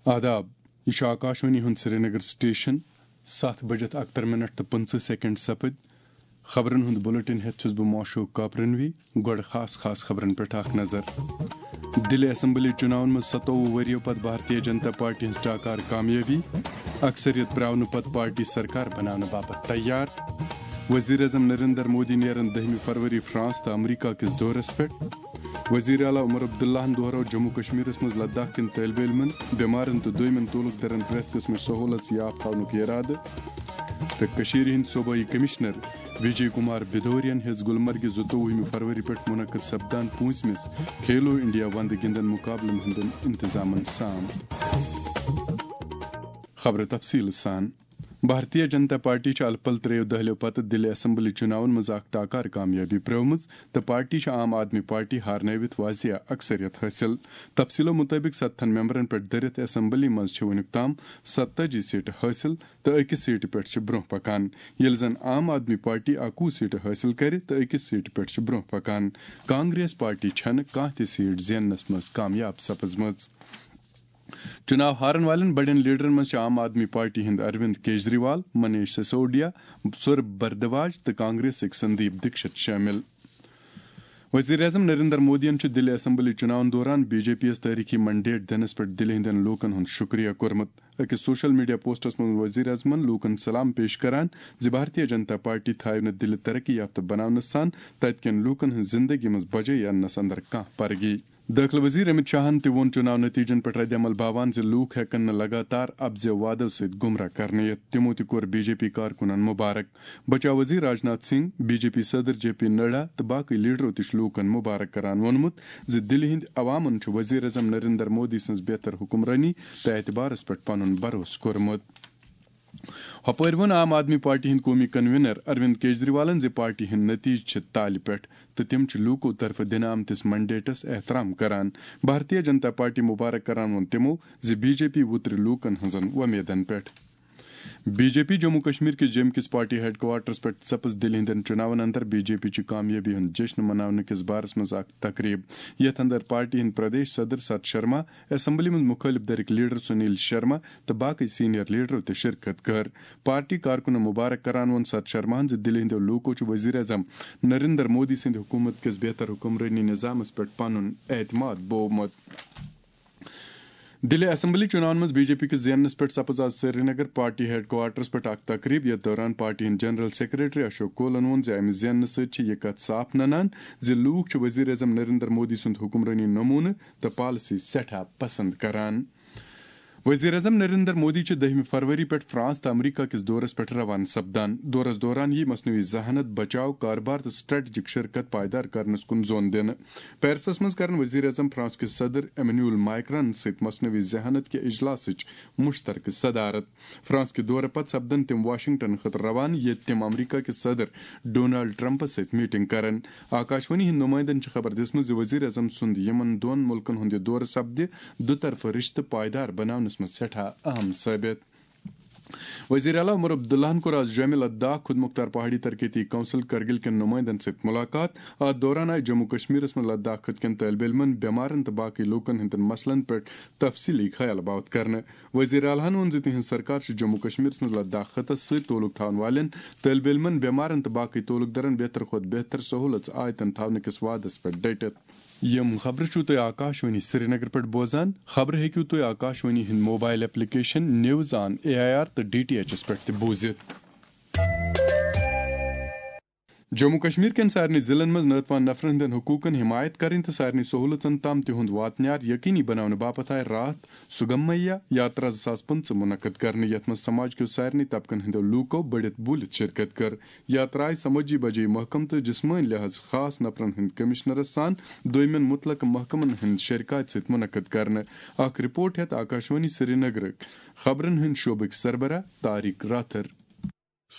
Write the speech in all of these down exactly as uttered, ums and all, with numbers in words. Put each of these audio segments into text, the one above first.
آداب، یہِ چھُ آکاشوانی ہُنٛد سرینگر سٹیشن۔ ستھ بجت اکتر منٹ تہٕ پٕنٛژٕہ سیکنڈ سپٕدۍ۔ خبرن ہُنٛد بلیٹن ہٮ۪تھ چھُس بہٕ معشوق کاپرنوی۔ گۄڈٕ خاص خاص خبرن پٮ۪ٹھ اکھ نظر۔ دِلہِ اسمبلی چُناون منٛز ستووُہ ؤرِیو پتہٕ بھارتیہ جنتا پارٹی ہٕنٛز ٹاکار کامیٲبی۔ اکثریت پرٛاونہٕ پتہٕ پارٹی سرکار بناونہٕ باپتھ تیار۔ وزیر اعظم نریندر مودی نیرن دٔہمہِ فروری فرانس تہٕ امریکہ کِس دورس پٮ۪ٹھ۔ وزیر اعلیٰ عمر عبداللہن دۄہرٲو جموں کشمیرس منٛز لداخ کٮ۪ن طٲلبہِ علمن، بٮ۪مارن تہٕ دویمٮ۪ن تعلق دارن پرٛٮ۪تھ قٕسمٕچ سہوٗلژ یاف تھاونُک ارادٕ۔ تہٕ کٔشیٖرِ ہٕنٛدۍ صوبٲئی کمشنر وجے کمار بھدوریَن ہیٚژ گُلمرگہِ زٕتووُہمہِ فروری پٮ۪ٹھ منعقد سپدان پوٗنٛژمِس کھیلو انڈیا وندٕ گِنٛدن مقابلن ہٕنٛدٮ۪ن انتظامن سام۔ خبرٕ تفصیٖل سان۔ بھارتیہ جنتا پارٹی چھِ الہٕ پلہٕ ترٛیٚیو دٔہلیو پتہٕ دِلہِ اسمبلی چُناون منٛز اکھ ٹاکار کامیٲبی پرٛٲومٕژ تہٕ پارٹی چھِ عام آدمی پارٹی ہارنٲوِتھ واضح اکثریت حٲصِل۔ تفصیٖلو مُطٲبِق ستتھن ممبرن پٮ۪ٹھ دٔرِتھ اسمبلی منٛز چھِ وُنیُک تام ستتٲجی سیٹہٕ حٲصِل تہٕ أکِس سیٹہِ پٮ۪ٹھ چھِ برٛونٛہہ پکان، ییٚلہِ زن عام آدمی پارٹی اکوُہ سیٹہٕ حٲصِل کرِ تہٕ أکِس سیٹہِ پٮ۪ٹھ چھِ برٛونٛہہ پکان۔ کانگریس پارٹی چھنہٕ کانٛہہ تہِ سیٹ زیننس منٛز کامیاب سپٕزمٕژ۔ چُناو ہارن والٮ۪ن بڑٮ۪ن لیڈرن منٛز چھِ عام آدمی پارٹی ہٕنٛدۍ اروند کیجریوال، منیش سسودیا، سورب بھردواج تہٕ کانگریسٕکۍ سندیپ دکشت شٲمِل۔ وزیر اعظم نریندر مودیَن چھُ دِلہِ اسمبلی چُناون دوران بی جے پی یَس تٲریخی مینڈیٹ دِنَس پٮ۪ٹھ دِلہِ ہٕنٛدٮ۪ن لوٗکَن ہُنٛد شُکریہ کوٚرمُت۔ أکِس سوشل میڈیا پوسٹَس منٛز وزیر اعظمَن لوٗکَن سلام پیش کران زِ بھارتیہ جنتا پارٹی تھایہِ نہٕ دِلہِ ترقی یافتہٕ بناونَس سان تَتہِ کٮ۪ن لوٗکَن ہٕنٛز زِندگی منٛز بجے اننَس اندر کانٛہہ پرگی۔ دٲخلہٕ وزیر امت شاہن تہِ ووٚن چُناو نتیجن پٮ۪ٹھ ردعمل باوان زِ لوٗکھ ہٮ۪کن نہٕ لگاتار اپزِ وعدو سۭتۍ گمراہ کرنہٕ یِتھ۔ تِمو تہِ کوٚر بی جے پی کارکُنن مبارک۔ بچاو وزیر Rajnath Singh, B J P صدر جے پی نڈا تہٕ باقٕے لیڈرو تہِ چھُ لوٗکن مبارک کران ووٚنمُت زِ دِلہِ ہٕنٛدۍ عوامن چھُ وزیر اعظم نریندر مودی سٕنٛز بہتر حکمرٲنی تہٕ اعتبارس پٮ۪ٹھ پنُن بھروسہٕ کوٚرمُت۔ ہۄپٲرۍ ووٚن عام آدمی پارٹی ہٕنٛدۍ قومی کنوینر اروند کیجریوالن زِ پارٹی ہٕنٛدۍ نتیجہٕ چھِ تالہِ پٮ۪ٹھ تہٕ تِم چھِ لوٗکو طرفہٕ دِنہٕ آمتِس مینڈیٹس احترام کران۔ بھارتیہ جنتا پارٹی مبارک کران ووٚن تِمو زِ بی جے پی وُترِ لوٗکن ہٕنٛزن وۄمیدن پٮ۪ٹھ۔ B J P Jammu Kashmir کِس جیٚمہِ کِس پارٹی ہیڈ کوارٹرس پٮ۪ٹھ سپٕز دِلہِ ہٕنٛدٮ۪ن چُناون اندر بی جے پی چہِ کامیٲبی ہُنٛد جشن مناونہٕ کِس بارس منٛز اکھ تقریب، یتھ اندر پارٹی ہٕنٛدۍ پردیش صدر ست شرما، اسمبلی منٛز مُخٲلف دھرٕکۍ لیڈر سنیل شرما تہٕ باقٕے سینئر لیڈرو تہِ شرکت کٔر۔ پارٹی کارکُنن مبارک کران ووٚن ست شرماہن زِ دِلہِ ہٕنٛدیو لوٗکو چھُ وزیر اعظم نریندر مودی سٕنٛدِ حکوٗمت کِس بہتر حکمرٲنی نظامس پٮ۪ٹھ پنُن اعتماد بوومُت۔ دِلہِ اسمبلی چُناون منٛز بی جے پی کِس زیننس پٮ۪ٹھ سپٕز آز سرینگر پارٹی ہیڈ کوارٹرس پٮ۪ٹھ اکھ تقریب، یتھ دوران پارٹی ہٕنٛدۍ جنرل سیکرٹری اشوک کولن ووٚن زِ امہِ زیننہٕ سۭتۍ چھِ یہِ کتھ صاف ننان زِ لوٗکھ چھِ وزیر اعظم نریندر مودی سُنٛد حکمرٲنی نموٗنہٕ تہٕ پالیسی سٮ۪ٹھاہ پسند کران۔ وزیر اعظم نریندر مودی چھِ دٔہمہِ فروری پٮ۪ٹھ فرانس تہٕ امریکہ کِس دورس پٮ۪ٹھ روانہٕ سپدان۔ دورس دوران یِیہِ مصنوعی ذہانت، بچاو، کاربار تہٕ سٹریٹجک شرکت پائیدار کرنس کُن زون دِنہٕ۔ پیرسس منٛز کرن وزیر اعظم فرانس کِس صدر ایمنول مائیکران سۭتۍ مصنوعی ذہانت کہِ اجلاسٕچ مشترکہٕ صدارت۔ فرانس کہِ دورٕ پتہٕ سپدن تِم واشنگٹن خٲطرٕ روانہٕ، ییٚتہِ تِم امریکہ کِس صدر ڈونلڈ ٹرمپس سۭتۍ میٹنگ کرن۔ آکاشوانی ہٕنٛدۍ نمائندن چھِ خبر دِژمٕژ زِ وزیر اعظم سُنٛد یِمن دۄن مُلکن ہُنٛد یہِ دورٕ سپدِ دُطرفہٕ رشتہٕ پائیدار بناونس منٛز سٮ۪ٹھاہ اہم ثٲبت۔ وزیر اعلیٰ عمر عبداللہن کوٚر آز جومہِ لداخ خود مختار پہاڑی ترقیتی کونسل کرگل کٮ۪ن نمائندن سۭتۍ ملاقات۔ اتھ دوران آیہِ جموں کشمیرس منٛز لداخ خطہٕ کٮ۪ن طٲلبہِ علمن، بٮ۪مارن تہٕ باقٕے لوٗکن ہٕنٛدٮ۪ن مسلن پٮ۪ٹھ تفصیٖلی خیال باوتھ کرنہٕ۔ وزیر اعلیٰ ہن ووٚن زِ تِہنٛز سرکار چھِ جموں کشمیرس منٛز لداخ خطس سۭتۍ تعلق تھاون والٮ۪ن طٲلبہِ علمن، بٮ۪مارن تہٕ باقٕے تعلق دارن بہتر کھۄتہٕ بہتر سہوٗلژ آیتن تھاونہٕ کِس وعدس پٮ۪ٹھ ڈٔٹِتھ۔ یِم خبرٕ چھِو تُہۍ آکاشوانی سرینگر پٮ۪ٹھ بوزان۔ خبرٕ ہیٚکِو تُہۍ آکاشوانی ہٕنٛدۍ mobile application news on A I R تہٕ ڈی ٹی ایچ پٮ۪ٹھ تہِ بوٗزِتھ۔ جموں کشمیر کٮ۪ن سارنٕے ضلعن منٛز ناتوان نفرن ہٕنٛدٮ۪ن حقوٗقن حمایت کرٕنۍ تہٕ سارنٕے سہوٗلژن تام تِہُنٛد واتنیار یقینی بناونہٕ باپتھ آیہِ راتھ سُگمیا یاترا زٕ ساس پٕنٛژٕہ منعقد کرنہٕ، یتھ منٛز سماج کیو سارنٕے طبقن ہٕنٛدٮ۪و لوٗکو بٔڑِتھ بوٗلِتھ شرکت کٔر۔ یاترا آیہِ سمٲجی بجٲیی محکمہٕ تہٕ جسمٲنی لحاظ خاص نفرن ہٕنٛدۍ کمشنرس سان دویمٮ۪ن متعلقہٕ محکمن ہٕنٛدۍ شرکاتۍ سۭتۍ منعقد کرنہٕ۔ اکھ رپورٹ ہٮ۪تھ آکاشوانی سرینگرٕکۍ خبرن ہٕنٛدۍ شعبٕکۍ سربراہ طارق راتھر۔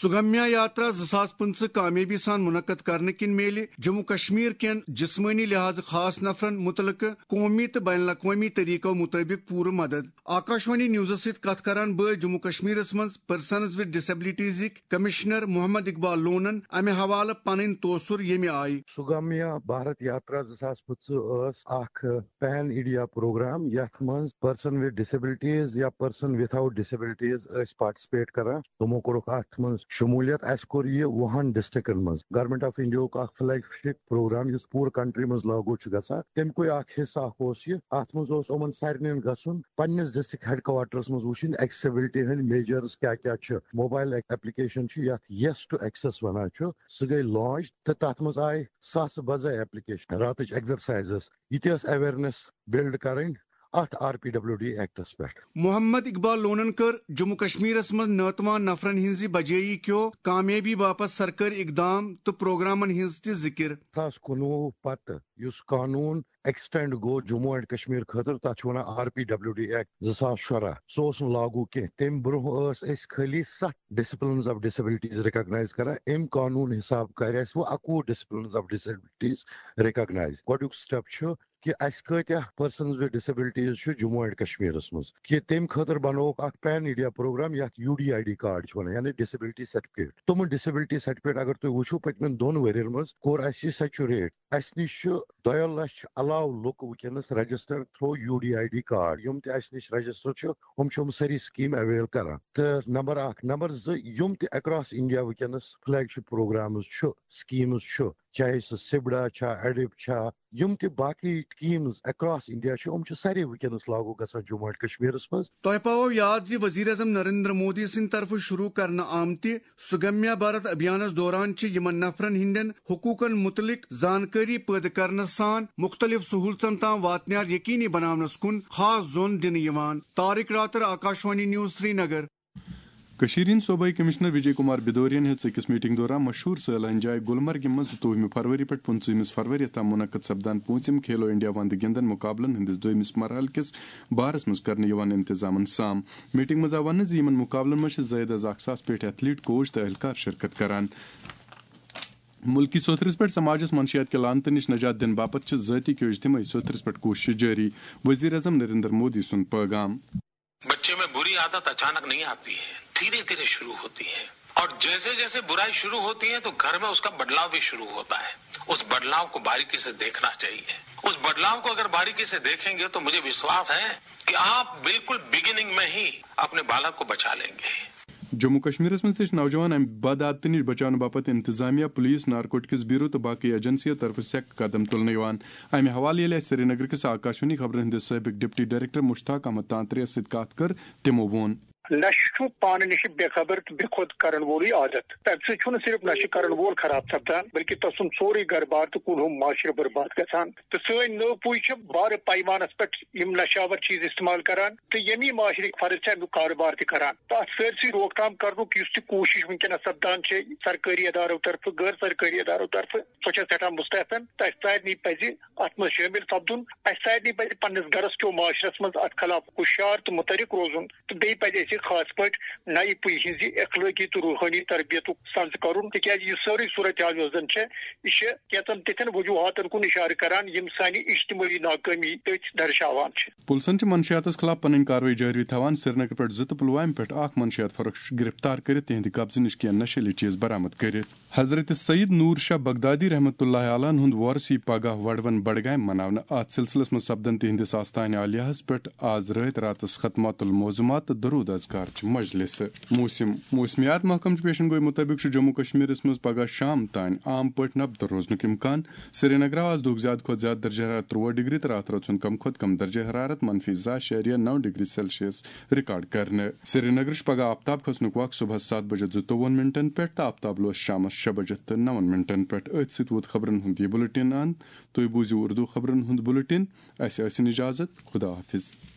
سگمیا یاترا زٕ ساس پٕنٛژٕہ کامیٲبی سان منعقد کرنہٕ کِنۍ میلہِ جموں کشمیر کٮ۪ن جسمٲنی لحاظٕ خاص نفرن متعلقہٕ قومی تہٕ بین الاقوٲمی طریقو مطٲبق پوٗرٕ مدد۔ آکاشوانی نیوزس سۭتۍ کتھ کران بٲے جموں کشمیرس منٛز پرسنز وِد ڈسیبلٹیزٕکۍ کمشنر محمد اقبال لونن امہِ حوالہٕ پنٕنۍ توثر، ییٚمہِ آیہِ۔ سگمیا بھارت یاترا زٕ ساس پٕنٛژٕہ ٲس اکھ پین انڈیا پروگرام، یتھ منٛز پرسن وِد ڈسیبلٹیز یا پرسن وِتھاؤٹ ڈسیبلٹیز ٲسۍ پارٹیسپیٹ کران۔ تِمو کوٚرُکھ اتھ منٛز شمولیت۔ اسہِ کوٚر یہِ وُہن ڈسٹرکٹن منٛز۔ گورنمنٹ آف انڈیا ہُک اکھ فلیگ شپ پروگرام، یُس پوٗرٕ کنٹری منٛز لاگو چھُ گژھان، تمہِ کُے اکھ حصہٕ اکھ اوس یہِ۔ اتھ منٛز اوس یِمن سارنٕے گژھُن پننِس ڈسٹرکٹ ہیڈ کوارٹرس منٛز وٕچھِنۍ ایکسیسبلٹی ہٕنٛدۍ میجرز کیاہ کیاہ چھِ۔ موبایل ایپلیکیشن چھِ، یتھ یس ٹو ایکسس ونان چھِ، سُہ گٔے لانچ تہٕ تتھ منٛز آیہِ ساسہٕ بزے ایپلیکیشن، راتٕچ ایکسرسائزز۔ یہِ تہِ ٲس اویئرنیس بلڈ کرٕنۍ اتھ آر پی ڈبلیو ڈی ایکٹس پٮ۪ٹھ۔ محمد اقبال لونن کٔر جموں کشمیرس منٛز ناتوان نفرن ہٕنٛزِ بجٲیی کیو کامیٲبی باپتھ سرکٲرۍ اقدام تہٕ پروگرامن ہٕنٛز تہِ ذکر۔ زٕ ساس کُنوُہ پتہٕ یُس قانون ایکسٹینڈ گوٚو جموں اینڈ کشمیر خٲطرٕ، تتھ چھِ ونان R P W D act زٕ ساس شُراہ۔ سُہ اوس نہٕ لاگو کینٛہہ۔ تمہِ برونٛہہ ٲس أسۍ خٲلی ستھ ڈسپلنز آف ڈسیبلٹیز ریکگنائز کران۔ امہِ قانون حساب کرِ اسہِ وۄنۍ اکوُہ ڈسپلنز آف ڈسیبلٹیز ریکگنائز۔ گۄڈنیُک سٹیپ چھُ کہِ اسہِ کۭتیاہ پرسنز وِد ڈسیبلٹیز چھِ جموں اینڈ کشمیرس منٛز، کہِ تمہِ خٲطرٕ بنووُکھ اکھ پین انڈیا پروگرام، یتھ U D I D card چھِ ونان، یعنی ڈسیبلٹی سرٹیفکیٹ۔ تِمن ڈسیبلٹی سرٹیفکیٹ اگر تُہۍ وٕچھِو، پٔتمٮ۪ن دۄن ؤرین منٛز کوٚر اسہِ یہِ سیچوریٹ۔ اسہِ نِش چھِ دۄیو لچھ علاوٕ لُکھ وٕنکیٚنس registered through U D I D card. یِم تہِ اسہِ نِش رجسٹر چھِ، یِم چھِ یِم سٲری سکیٖم اویل کران۔ تہٕ نمبر اکھ۔ نمبر زٕ، یِم تہِ اکراس انڈیا وٕنکیٚنس فلیگ شپ پروگرامز چھِ، سکیٖمز چھِ، چاہے سُہ سبڑا چھا، ایڈپ چھا، یِم تہِ باقی سکیٖمز اکراس انڈیا چھِ، یِم چھِ سارے وٕنکیٚنس لاگو گژھان جموں اینڈ کشمیرس منٛز۔ تۄہہِ پاوو یاد زِ وزیر اعظم نریندر مودی سٕنٛدِ طرفہٕ شروع کرنہٕ آمتہِ سگمیا بھارت ابھیانس دوران چھِ یِمن نفرن ہٕنٛدٮ۪ن حقوٗقن مُتعلق زانکٲری پٲدٕ کرنہٕ سان مُختٔلِف سہوٗلژن تام واتنیار یقینی بناونس کُن خاص زون دِنہٕ یِوان۔ طارق راتر، آکاشوانی نیوز، سرینگر۔ کٔشیٖرِ ہٕنٛدۍ صوبٲئی کمشنر وجے کمار بدورین ہیٚژ أکِس میٹنگ دوران مشہوٗر سٲلٲنۍ جاے گلمرگہِ منٛز زٕتووُہمہِ فروری پٮ۪ٹھ پٕنٛژٕہمِس فروری یَس تام منعقد سپدان پوٗنٛژِم کھیلو انڈیا وندٕ گِنٛدن مقابلن ہٕنٛدِس دوٚیمِس مرحلہٕ کِس بارس منٛز کرنہٕ یِوان انتظامن سام۔ میٹنگ منٛز آو وننہٕ زِ یِمن مقابلن منٛز چھِ زٲیِد از اکھ ساس پیٹھ ایتھلیٹ، کوچ تہٕ اہلکار شرکت کران۔ مُلکی سوٚتھرِس پٮ۪ٹھ سماجس منشیات کہِ لعنتہٕ نِش نجات دِنہٕ باپتھ چھِ ذٲتی کیو اجتمٲعی سوٚتھرِس پٮ۪ٹھ کوٗششہٕ جٲری، وزیر اعظم نریندر مودی سُنٛد پٲغام۔ بچے میں बुरी आदत अचानक नहीं आती है, धीरे धीरे शुरू होती है। और जैसे जैसे बुराई शुरू होती है तो घर में उसका बदलाव भी शुरू होता है। उस बदलाव को बारीकी से देखना चाहिए। उस बदलाव को अगर बारीकी से देखेंगे तो मुझे विश्वास है कि आप बिल्कुल बिगिनिंग में ही अपने बालक को बचा लेंगे। جموں کشمیرس منٛز تہِ چھِ نوجوان امہِ بد عادتہٕ نِش بچاونہٕ باپتھ انتظامیہ، پولیس، نارکوٹکس بیورو تہٕ باقٕے ایجنسیو طرفہٕ سیٚکھ قدم تُلنہٕ یِوان۔ امہِ حوالہٕ ییٚلہِ اسہِ سرینگرٕ کِس آکاشوانی خبرن ہٕنٛدِس سٲبق ڈپٹی ڈائریکٹر مشتاق احمد تانترے یس سۭتۍ کتھ کٔر، تِمو ووٚن۔ نشہٕ چھُ پانہٕ نِش بے خبر تہٕ بے خود کرن وولٕے عادت۔ تمہِ سۭتۍ چھُنہٕ صرف نشہٕ کرن وول خراب سپدان، بلکہِ تسُنٛد سورُے گرٕ بار تہٕ کُلہُم معاشرٕ برباد گژھان۔ تہٕ سٲنۍ نٔو پُے چھِ بارٕ پیمانس پٮ۪ٹھ یِم نشاور چیز استعمال کران تہٕ ییٚمی معاشرٕکۍ فرد چھِ امیُک کارٕبار تہِ کران۔ تہٕ اتھ سٲرسٕے روک تھام کرنُک یُس تہِ کوٗشش وٕنکیٚنس سپدان چھِ سرکٲری ادارو طرفہٕ، غٲر سرکٲری ادارو طرفہٕ، سۄ چھےٚ سٮ۪ٹھاہ مستحسن۔ تہٕ اسہِ سارنٕے پزِ اتھ منٛز شٲمِل سپدُن۔ اسہِ سارنٕے پزِ پننِس گرس کیو معاشرس منٛز اتھ خلاف ہُشیار تہٕ متحرک روزُن۔ تہٕ بیٚیہِ پزِ اسہِ خاص پٲٹھۍ نَیہِ پُیہِ ہٕنٛزِ اخلٲقی تہٕ روحٲنی تربیتُک سنز کرُن، تِکیازِ یہِ سٲرٕے صورتحال یۄس زن چھےٚ، یہِ چھےٚ کینٛژن تِتھٮ۪ن وجوہاتن کُن اشارٕ کران، یِم سانہِ اجتمٲعی ناکٲمی تٔتھۍ درشاوان چھِ۔ پُلسن چھِ منشیاتس خلاف پنٕنۍ کاروٲیی جٲری تھاوان۔ سرینگر پٮ۪ٹھ زٕ تہٕ پلوامہِ پٮ۪ٹھ اکھ منشیات فروش چھُ گرفتار کٔرِتھ تِہنٛدِ قبضہٕ نِش کینٛہہ نشیلہِ چیز برآمد کٔرِتھ۔ حضرت سید نور شاہ بغدادی رحمتہ اللہ علیہ ہُنٛد وۄرث یی پگاہ وۄڑوَن بڈگامہِ مناونہٕ۔ اتھ سلسلس منٛز سپدن تِہنٛدِس آستانہِ عالیہس پٮ۪ٹھ آز رٲتۍ راتس ختمات المعظمات تہٕ درود اذکار چہِ مجلسہٕ۔ موسم۔ موسمیات محکمہٕ چہِ پیشن گوئی مطٲبق چھُ جموں کشمیرس منٛز پگاہ شام تام عام پٲٹھۍ نبدٕ روزنُک امکان۔ سرینگرٕ آو آز دُہُک زیادٕ کھۄتہٕ زیادٕ درجہ حرارت تُرٛواہ ڈگری تہٕ راتھ رٲژ ہُنٛد کم کھۄتہٕ کم درجہ حرارت منفی زٕ اعشاریہ نو ڈگری سیلسیس ریکارڈ کرنہٕ۔ سرینگرٕ چھُ پگاہ آفتاب کھسنُک وق صبحس ستھ بجے زٕتووُہن منٹن پٮ۪ٹھ تہٕ آفتاب لوس شامس شےٚ بجے تہٕ نون منٹن پٮ۪ٹھ۔ أتھۍ سۭتۍ ووت خبرن ہُنٛد یہِ بُلٹن اند۔ تُہۍ بوٗزِو اردو خبرن ہُنٛد بُلٹن۔ اسہِ ٲسِن اجازت۔ خدا حافظ۔